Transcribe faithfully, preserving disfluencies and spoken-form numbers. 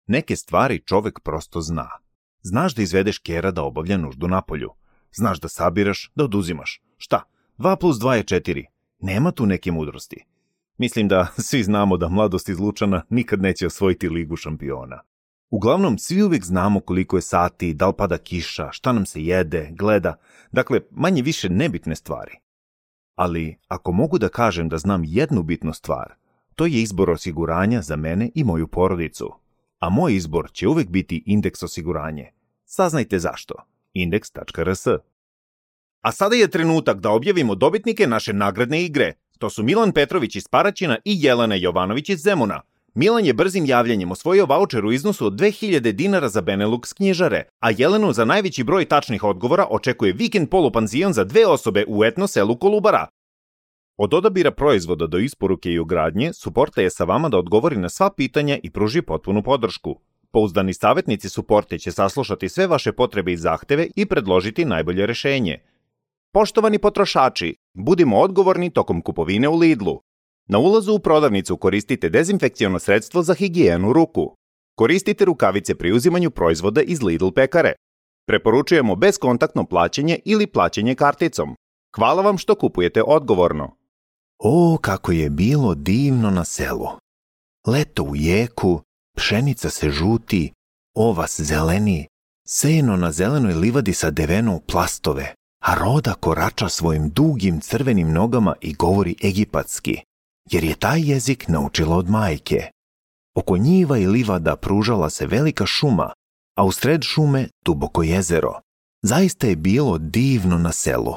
Neke stvari čovek prosto zna. Znaš da izvedeš kera da obavlja nuždu napolju. Znaš da sabiraš, da oduzimaš. Šta? Dva plus dva je četiri. Nema tu neke mudrosti. Mislim da svi znamo da mladost iz Lučana nikad neće osvojiti ligu šampiona. Uglavnom, svi uvijek znamo koliko je sati, da li pada kiša, šta nam se jede, gleda, dakle, manje više nebitne stvari. Ali, ako mogu da kažem da znam jednu bitnu stvar, to je izbor osiguranja za mene i moju porodicu. A moj izbor će uvijek biti Indeks osiguranje. Saznajte zašto. indeks tačka r s. A sada je trenutak da objavimo dobitnike naše nagradne igre. To su Milan Petrović iz Paraćina i Jelena Jovanović iz Zemuna. Milan je brzim javljanjem osvojio vaučer u iznosu od dve hiljade dinara za Benelux knjižare, a Jelenu za najveći broj tačnih odgovora očekuje vikend polupanzion za dve osobe u etno selu Kolubara. Od odabira proizvoda do isporuke i ugradnje, Suporte je sa vama da odgovori na sva pitanja i pruži potpunu podršku. Pouzdani savjetnici Suporte će saslušati sve vaše potrebe i zahteve i predložiti najbolje rešenje. Poštovani potrošači, budimo odgovorni tokom kupovine u Lidlu. Na ulazu u prodavnicu koristite dezinfekciono sredstvo za higijenu ruku. Koristite rukavice pri uzimanju proizvoda iz Lidl pekare. Preporučujemo bezkontaktno plaćanje ili plaćanje karticom. Hvala vam što kupujete odgovorno. O, kako je bilo divno na selu. Leto u jeku, pšenica se žuti, ovas zeleni, seno na zelenoj livadi sa deveno u plastove, a Roda korača svojim dugim crvenim nogama i govori egipatski, jer je taj jezik naučila od majke. Oko njiva i livada pružala se velika šuma, a u sred šume duboko jezero. Zaista je bilo divno na selu.